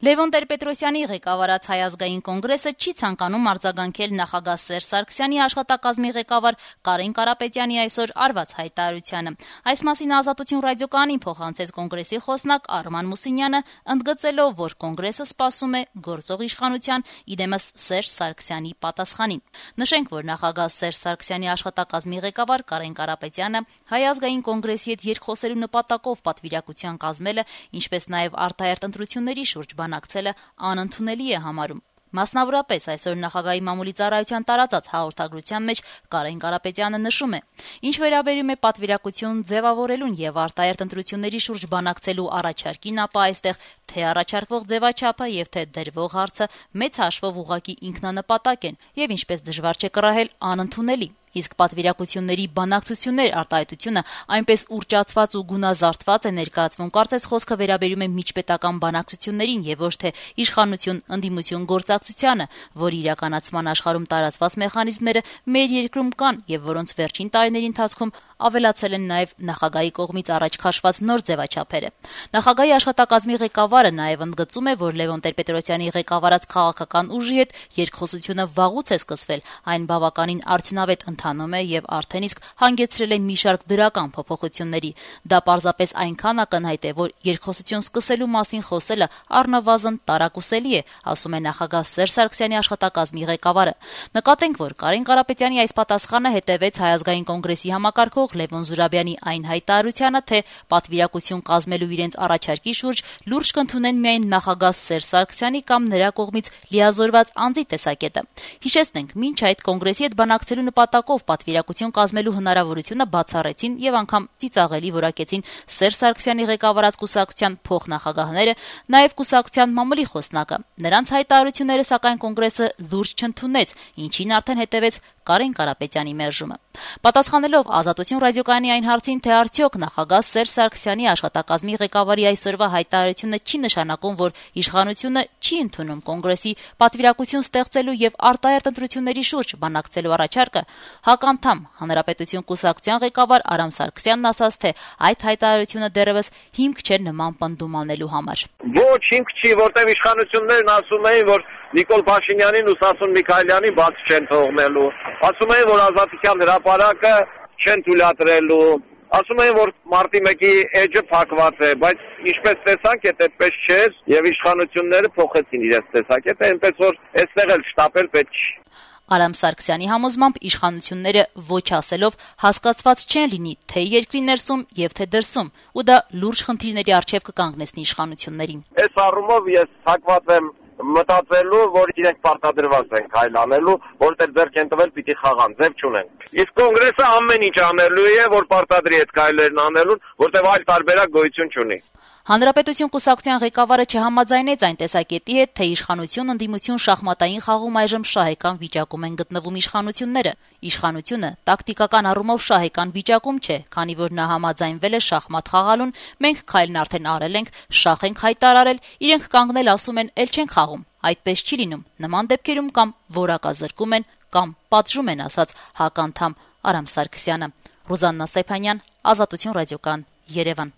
Լևոն Տեր-Պետրոսյանի ղեկավարած Հայ ազգային կոնգրեսը չի ցանկանում արձագանքել նախագահ Սերժ Սարգսյանի աշխատակազմի ղեկավար Կարեն Կարապետյանի այսօր արված հայտարարությանը։ Այս մասին Ազատություն ռադիոկայանին փոխանցեց կոնգրեսի խոսնակ Արման Մուսինյանը, ընդգծելով, որ կոնգրեսը սպասում է գործող իշխանության իդեմս Սերժ Սարգսյանի պատասխանին։ Նշենք, որ նախագահ Սերժ Սարգսյանի աշխատակազմի ղեկավար Կարեն Կարապետյանը Հայ ազգային կոնգրեսի հետ երկխոսելու նպատակով պատվիրակության կազմելը, ինչպես նաև արտահերթ ընտրությունների շուրջ բանակցելը անընդունելի է համարում։ Մասնավորապես այսօր նախագահի մամուլի ծառայության տարածած հաղորդագրության մեջ Կարեն Կարապետյանը նշում է. «Ինչ վերաբերում է պատվիրակություն ձևավորելուն եւ արտահերթ ընտրությունների շուրջ բանակցելու առաջարկին, ապա այստեղ թե առաջարկվող ձևաչափը եւ թե դրվող հարցը մեծ հաշվով ուղղակի ինքնանպատակ են եւ ինչպես դժվար չէ կռահել անընդունելի։ Իսկ պատվիրակությունների բանակցություններ արտահայտությունը այնպես ուռճացված ու գունազարդված է ներկայացվում, կարծես խոսքը վերաբերում է միջպետական բանակցություններին եւ ոչ թե իշխանություն ընդդիմություն գործակցությանը, որի իրականացման աշխարհում տարածված մեխանիզմները մեր երկրում կան եւ որոնց վերջին տարիների ընթացքում ավելացել են նաեւ նախագահի կողմից առաջ քաշված նոր ձևաչափերը»։ Նախագահի աշխատակազմի ղեկավարը նաեւ ընդգծում է, որ Լևոն Տեր-Պետրոսյանի ղեկավարած քաղաքական ուժի հետ երկխոսությունը վաղուց է սկսվել, այն բավականին արդյունավետ ընթանում է եւ արդեն իսկ հանգեցրել է մի շարք դրական փոփոխությունների։ Դա պարզապես այնքան ակնհայտ է, որ երկխոսություն սկսելու մասին խոսելը առնվազն տարակուսելի է, ասում է նախագահ Սերժ Սարգսյանի աշխատակազմի ղեկավարը։ Նկատենք, որ Կարեն Կարապետյանի այս պատասխանը հետևեց Հայ ազգային կոնգրեսի համակարգող Լևոն Զուրաբյանի այն հայտարարությանը, թե պատվիրակություն կազմելու իրենց առաջարկի շուրջ լուրջ կընդունեն միայն նախագահ Սերժ Սարգսյանի կամ նրա կողմից լիազորված անձի տեսակետը։ Հիշեցնենք, մինչ այդ կոնգրեսի հետ բանակցելու նպատակով պատվիրակություն կազմելու հնարավորությունը բացառեցին եւ անգամ ծիծաղելի որակեցին Սերժ Սարգսյանի ղեկավարած կուսակցության փոխնախագահները, նաեւ կուսակցության մամուլի խոսնակը։ Նրանց հայտարարությունները սակայն կոնգրեսը լուրջ չընդունեց, ինչին արդեն հետևեց Կարեն Կարապետյանի մերժումը։ Պատասխանելով Ազատություն ռադիոկայանի այն հարցին, թե արդյոք նախագահ Սերժ Սարգսյանի աշխատակազմի ղեկավարի այսօրվա հայտարարությունը չի նշանակում, որ իշխանությունը չի ընդունում կոնգրեսի պատվիրակություն ստեղծելու եւ արտահերթ ընտրությունների շուրջ բանակցելու առաջարկը, հականդամ Հանրապետություն կուսակցության ղեկավար Արամ Սարգսյանն ասաց, թե այդ հայտարարությունը դեռևս հիմք չէ նման պնդում անելու համար։ Ոչ հիմք չի, որտեղ իշխանություններն ասում էին, որ Նիկոլ Փաշինյանին ու Սասուն Միքայելյանին բաց չեն թողնելու, ասում էին, որ Ազատության հրապարակը չեն թույլատրելու, ասում էին, որ մարտի 1-ի էջը փակված է, բայց ինչպես տեսանք, այդպես չէր եւ իշխանությունները փոխեցին իրենց տեսակետը, այնպես որ այստեղ էլ շտապել պետք չի։ Արամ Սարգսյանի համոզմամբ իշխանությունները ոչ ասելով հասկացված չեն լինի թե երկրի ներսում եւ թե դրսում, ու դա լուրջ խնդիրների առջեւ կկանգնեցնի իշխանություններին։ Այս առումով ես հակված եմ մտածելու, որ իրենք պարտադրված են քայլ անելու, որտեղ ձեռք են տվել պիտի խաղան, ձև չունեն։ Իսկ կոնգրեսը ամեն ինչ անելու է, որ պարտադրի այդ քայլերն անելուն, որտեղ այլ տարբերակ գոյություն չունի։ Հանրապետություն կուսակցության ղեկավարը չհամաձայնեց այն տեսակետի հետ, թե իշխանություն ընդդիմություն շախմատային խաղում այժմ շահեկան վիճակում են գտնվում իշխանությունները։ Իշխանությունը տակտիկական առումով շահեկան վիճակում չէ, քանի որ նա համաձայնվել է շախմատ խաղալուն, մենք քայլն արդեն արել ենք, շախ ենք հայտարարել, իրենք կանգնել ասում են, էլ չենք խաղում։ Այդպես չի լինում։ Նման դեպքերում կամ որակազրկում են, կամ պատժում են, ասաց հականդամ Արամ Սարգսյանը։ Ռուզաննա Սեփանյան, Ազատություն ռադիոկայան, Երևան։